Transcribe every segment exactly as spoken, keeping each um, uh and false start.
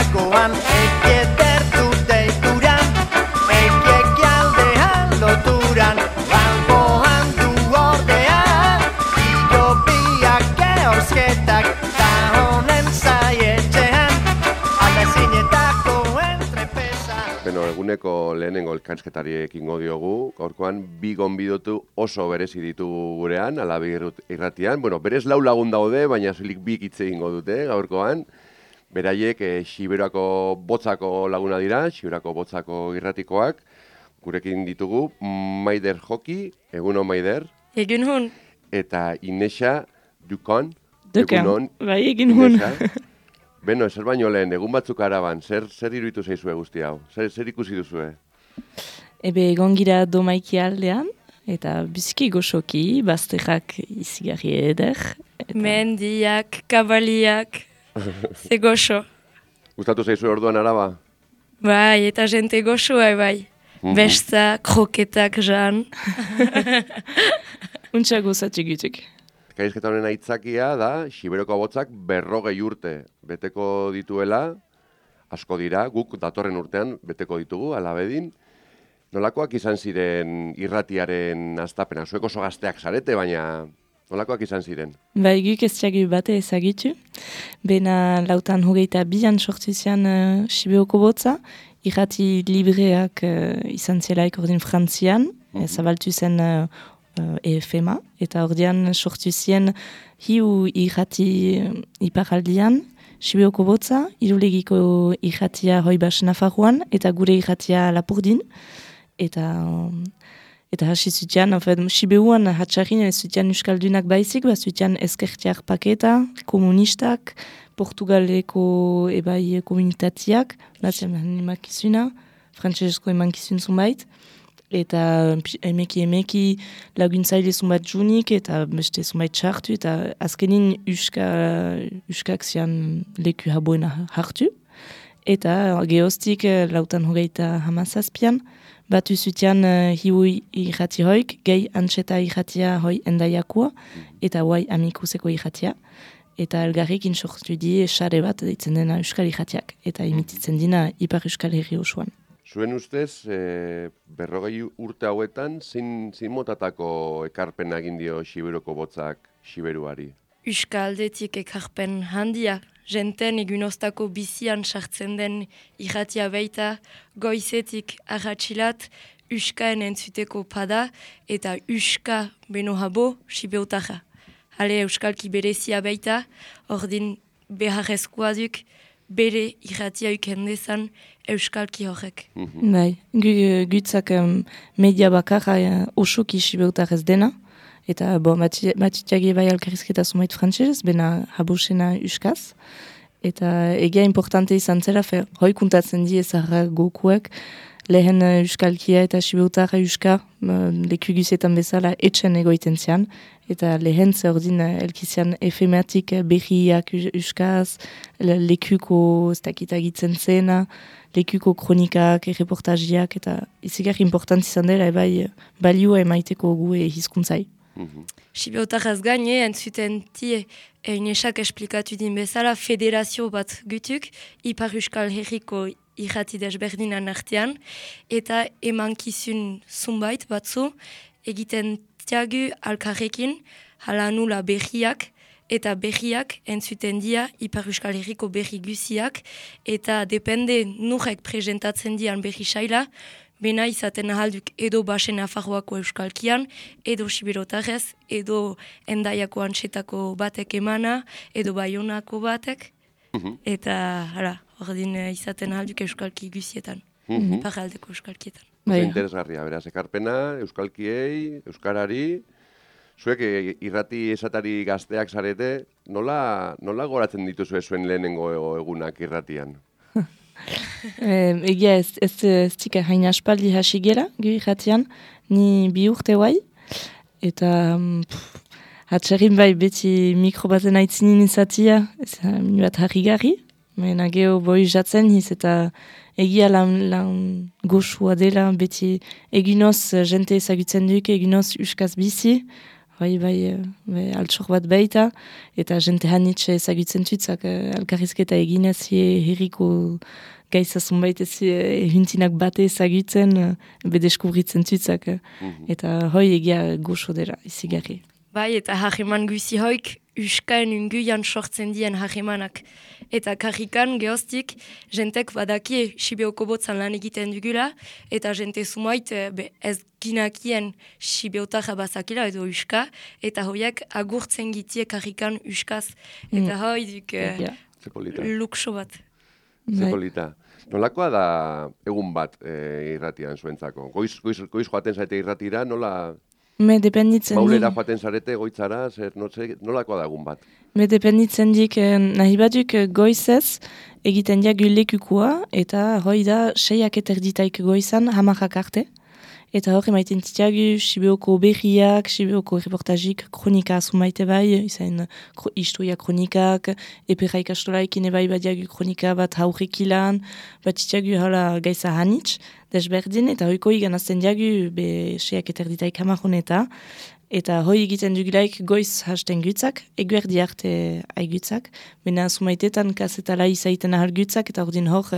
zinetakoan ekedertu deituran, ekialdean loturan, alboan du ordea, ilobiak ehorzketak, ta honen zaietxean, alde zinetako entrepesa. Beno, eguneko lehenengo elkarrizketari ekingo diogu, gaurkoan bi gonbidotu oso berezi ditu gurean, Alabe irratian. Bueno, berez lau lagun daude, baina soilik bi hitz egingo dute gaurkoan. Beraiek e, Xiberoako botzako laguna dira, Xiberoako botzako irratikoak. Gurekin ditugu Maider Joki, egunon Maider. Egunon. Eta Inexa Dukon. Dukan, bai egunon. Beno, ezer baino lehen, egun batzuk araban, zer, zer iruditu zaizue guzti hau? Zer, zer ikusi duzue? Ebe egon gira Domaiki aldean, eta biziki goxoki, bazterrak izigarri eder. Eta... mendiak, kabaliak, ze goxo. Gustatu zaizue orduan araba? Bai, eta jente goxoa bai. Mm-hmm. Besta, kroketak jan. Untsa gozatu gutuk. Elkarrizketa honen aitzakia da, Xiberoko botzak berrogei urte beteko dituela, asko dira, guk datorren urtean beteko ditugu, Alabedin. Nolakoak izan ziren irratiaren astapena? Zuek oso gazteak zarete, baina nolakoak izan ziren? Bai, guk ez txagi bate ezagitu. Bena lautan hogeita bian sortu zian uh, Xiberoko botza, irrati libreak uh, izan zelaik ordin Frantzian, mm-hmm. zabaltu zen uh, Uh, E F M A, eta ordean sortu zien hiu irrati uh, iparaldian, Xibeoko botza, irulegiko irratia Hoibas Nafarroan, eta gure irratia Lapurdin, eta um, eta hasi zutian, en fait, Xibeuan hatxarrin ez zutian Euskaldunak baizik, bat zutian ezkertiak paketa, komunistak, Portugaleko ebai komunitatiak, nazian emakizuna, frantsesko emankizun zunbait, eta emeki emeki laguntzaile zumbat junik, eta beste zumbat txartu, eta azkenin uska, uskak zian leku haboena hartu. Eta gehoztik lautan hogeita hamazazpian, batu zutian uh, hiu irrati hoik, gehi antxeta irratia hoi endaiakoa, eta huai amikuseko irratia. Eta elgarrekin sortu die xare bat ditzen dena euskal irratiak, eta imititzen dina ipar euskal herri osoan. Zuen ustez, e, berrogei urte hauetan, zein, zein motatako ekarpena egin dio Xiberoko botzak Xiberuari? Euskaldetik ekarpen handia, jenten egunoztako bizian sartzen den irratia baita, goizetik arratxilat, Euskaen entzuteko pada, eta Euska beno habo Xibeotarra. Hale Euskalki berezia baita, ordin beharrezkoa duk, bere irratia ukendezan Euskalki horrek. Mm-hmm. Bai, gutzak um, media bakarra uh, osoki Xibeutarrez dena, eta bo, matitiagi bai alkarrizketa zumait frantzez, bena habosena Euskaz, eta egia importante izan zela, fe, hoi kuntatzen die zarra gokuek, lehen uh, Euskalkia eta Xibeutarra Euska, uh, leku guzetan bezala etxen egoiten zian, eta lehen zerdin uh, elkizian efematik berriak Euskaz, lekuko ez dakitagitzen zena, lekuko kronikak, reportajiak, eta izigar important izan dela, ebai balioa emaiteko gue hizkuntzai. Mm-hmm. Xibeutarraz gaine, entzuten tie, Inesak esplikatu din bezala, federazio bat gutuk, Ipar Euskal Herriko irrati desberdinan artean, eta emankizun zumbait batzu, egiten tiagu alkarrekin, hala nula berriak, eta berriak entzuten dia Ipar Euskal Herriko berri guziak, eta depende nurek presentatzen dian berri saila, bena izaten ahalduk edo basen Nafarroako Euskalkian, edo Xiberotarrez, edo Endaiako antxetako batek emana, edo Baionako batek, mm-hmm. eta hala, ordin izaten ahalduk Euskalki guzietan, mm-hmm. paraldeko Euskalkietan. Oso interesgarria, beraz, ekarpena, Euskalkiei, Euskarari, zuek irrati esatari gazteak zarete, nola, nola goratzen dituzue zuen lehenengo egunak irratian? eh, egia ez, ez, ez tika hain aspaldi hasi gela, gu irratian, ni bi urte guai, eta pff, hatxarrin bai beti mikro baten aitzinin izatia, ez minu bat harrigarri, mena geho boi jatzen hiz, eta egia lan, lan goxua dela, beti eginoz jente ezagutzen duk, eginoz uskaz bizi, hoi bai, bai altxor bat baita, eta jente hanitxe ezagutzen tutzak, alkarrizketa eginez, herriko gaiza zunbait ez huntinak bate ezagutzen, bedeskubritzen tutzak, mm-hmm. eta hoi egia goxo dira, izigarri. Bai, eta hageman guzi hoik, uskaen unguian sortzen dien hagemanak. Eta karrikan gehoztik, jentek badakie Sibeoko botzan lan egiten dugula, eta jente sumait be, ez ginakien Sibeotarra bazakila edo uska, eta hoiak agurtzen gitie karrikan uskaz. Eta mm. hoi duk uh, lukso bat. Zepolita. Nolakoa da egun bat e, irratian zuentzako? Goiz, goiz, goiz joaten zaite irratira, nola... Me dependitzen Maulera joaten zarete, goitzara, zer, no, zer, nolakoa da egun bat? Me dependitzen dik, nahi baduk goizez, egiten diagu lekukua, eta hoi da, seiak eterditaik goizan, hamarrak arte. Eta hori maiten titiagu, Sibeoko berriak, Sibeoko reportajik, kronika azumaite bai, izan historia kronikak, epera ikastolaik bai badiagu kronika bat haurrik ilan, bat titiagu hala gaiza hanitz, desberdin, eta hoiko igan azten diagu, be seiak eterditaik hamarroneta, eta hoi egiten dugulaik goiz hasten gutzak, eguerdi arte aigutzak, bena sumaitetan kasetala izaiten ahal gutzak, eta ordin hor,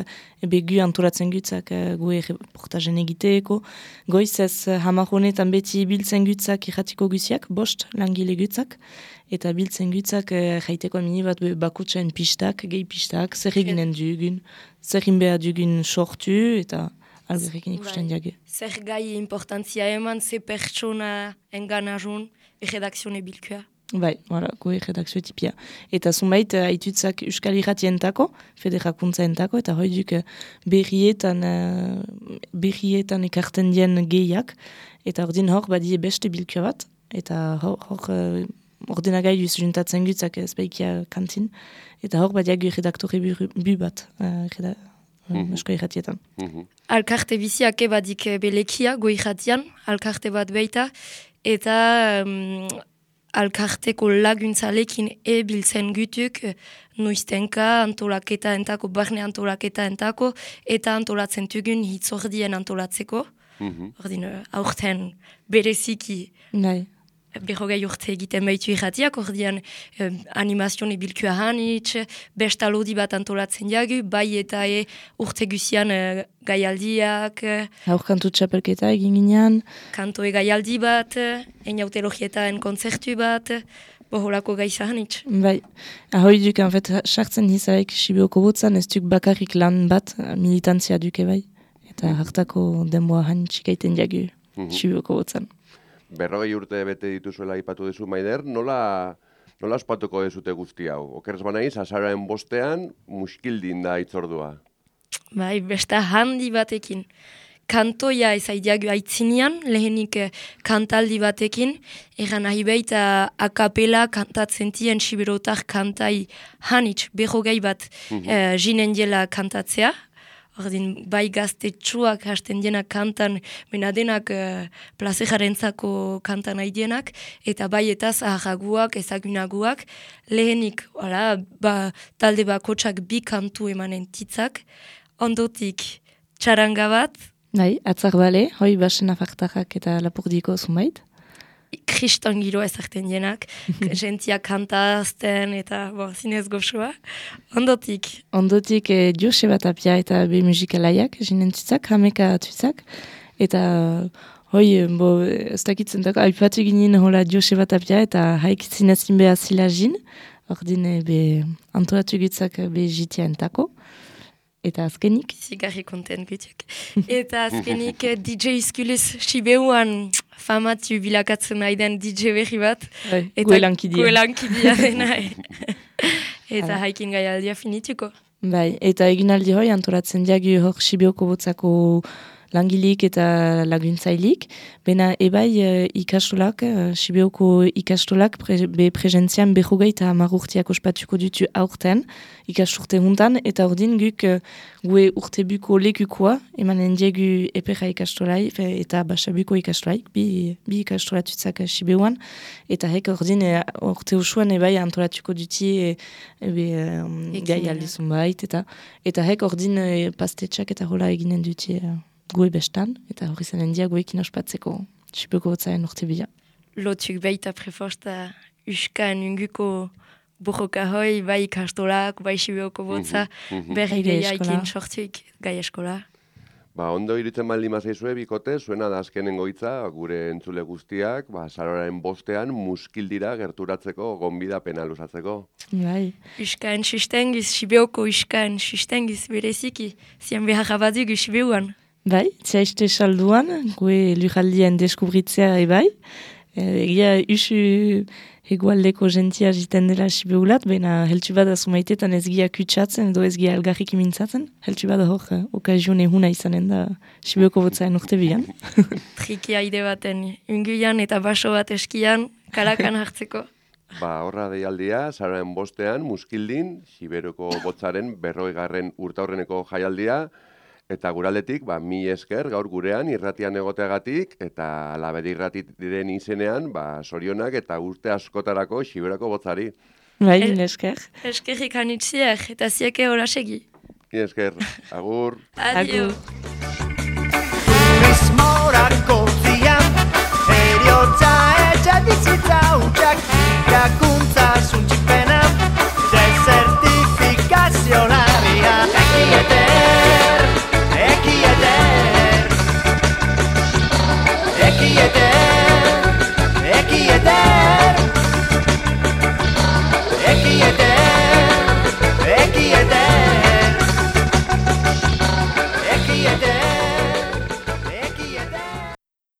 ebe gu antolatzen gutzak gu reportajen egiteeko. Goiz ez hamarronetan beti biltzen gutzak irratiko guziak, bost langile gutzak, eta biltzen gutzak jaiteko mini bat bakutsen pistak, gehi pistak, zer eginen dugun, zer inbea dugun sortu, eta... alberrekin ikusten diage. Zer gai importantzia eman, ze pertsona enganajun, erredakzione bilkua. Bai, voilà, goe redakzio tipia. Eta zunbait, haitutzak Euskal Irratientako, federakuntzaentako, eta hoi duk berrietan, berrietan ekarten dien gehiak, eta ordin hor badie beste bilkua bat, eta hor, hor ordenagailu juntatzen gutzak ez baikia kantin, eta hor badiagu redaktore bu bat, redak. Mm-hmm. Esko irratietan. Mm-hmm. Alkarte biziak ebadik belekia, go irratian, alkarte bat beita, eta um, alkarteko laguntzalekin ebiltzen gutuk, noiztenka antolaketa entako, barne antolaketa entako, eta antolatzen tugun hitzordien antolatzeko. Mm-hmm. Ordin, aurten bereziki... Nahi. Berrogei urte egiten baitu irratiak, ordean eh, animazione bilkua hanitz, besta lodi bat antolatzen diagu, bai eta e urte guzian eh, gaialdiak. Haur kantu txapelketa egin ginean. Kantoe gaialdi bat, eniautelogietaen kontzertu bat, boholako gaiza hanitz. Bai, ahoi duk, en fait, sartzen hizaik Sibeoko botzan, ez duk bakarrik lan bat, militantzia duke bai, eta hartako denboa hanitz gaiten diagu mm-hmm. Sibeoko botzan. Berrogei urte bete dituzuela ipatu duzu, Maider, nola, nola ospatuko dezute guzti hau? Okerz banaiz, azararen bostean, muskildin da itzordua. Bai, besta handi batekin. Kantoia ezaidiagu aitzinean, lehenik kantaldi batekin, eran nahi baita akapela kantatzen tien Siberotar kantai hanitz, berrogei bat mm-hmm. eh, jinen diela kantatzea. Ordin, bai gaztetxuak hasten dienak kantan, bena denak uh, plazejarentzako kantan haidienak, eta bai eta zaharaguak, ezagunaguak, lehenik, wala, ba, talde bakotsak bi kantu emanen titzak, ondotik txaranga bat. Bai, atzak bale, hoi basen afartarrak eta lapurdiko zumait. Kriston giro ezarten dienak, gentia kantazten eta bo, zinez goxoa. Ondotik? Ondotik eh, Jose Batapia eta be musikalaiak, jinen tutzak, hameka tutzak. Eta hoi, bo, ez dakitzen dako, aipatu ginen hola Jose Batapia eta haik zinezin beha zila jin. Ordine be antolatu gutzak be jitia entako. Eta azkenik? Zigarri konten gutiak. Eta azkenik D J Iskulis Sibeuan famatu bilakatzen nahi den D J berri bat. Eta guelankidia. Guelankidia dena. Eta haikin gaialdia finituko. Bai, eta eginaldi hoi antolatzen diagu hor Sibeoko botzako langilik eta laguntzailik. Bena ebai uh, ikastolak, uh, Sibeoko ikastolak pre, be prezentzian berrogei eta hamar ospatuko dutu aurten, ikasturte huntan, eta ordin guk uh, gue urtebuko lekukoa, emanen diegu epera ikastolai, eta basabuko ikastolaik, bi, bi ikastolatutzak Sibeuan, eta hek ordin uh, urte usuan ebai antolatuko duti e, ebe um, gai aldizun bait, eta, eta hek ordin uh, pastetxak eta hola eginen duti uh, goe bestan, eta hori zenen dia goekin ospatzeko Sibeoko botzaen urte bila. lotuk baita prefosta uskan inguko borroka hoi, bai ikastolak, bai Sibeoko botza, berri Gai gehiakin eskola. sortuik gai eskola. Ba, ondo irutzen baldin mazaizue, bikote, zuena da azkenengo hitza, gure entzule guztiak, ba, saroraren bostean muskildira gerturatzeko gonbidapena luzatzeko. Bai. Uskan sustengiz, Sibeoko uskan sustengiz bereziki, zian beharra badugu Sibeuan. Bai, txaiste salduan, gue lujaldien deskubritzea ebai. Egia usu hegoaldeko jentia jiten dela Sibeulat, baina heltsu bada zumaitetan ez gia kutsatzen edo ez gia elgarrik mintzatzen. Heltsu bada hor, eh, okazion ehuna izanen da Sibeuko botzaen urte bian. Triki haide baten, unguian eta baso bat eskian, kalakan hartzeko. Ba, horra deialdia, saroraren bostean, muskildin, Siberoko botzaren berrogeigarren urtaurreneko jaialdia, eta guraldetik, ba, mi esker gaur gurean irratian egoteagatik, eta alabedi irratit diren izenean, ba, sorionak eta urte askotarako Siberoko botzari. Bai, El- mil esker. Eskerrik anitziek eta zieke hola segi. Mi esker, agur. Adio. Agur. Turismorako zian, eriotza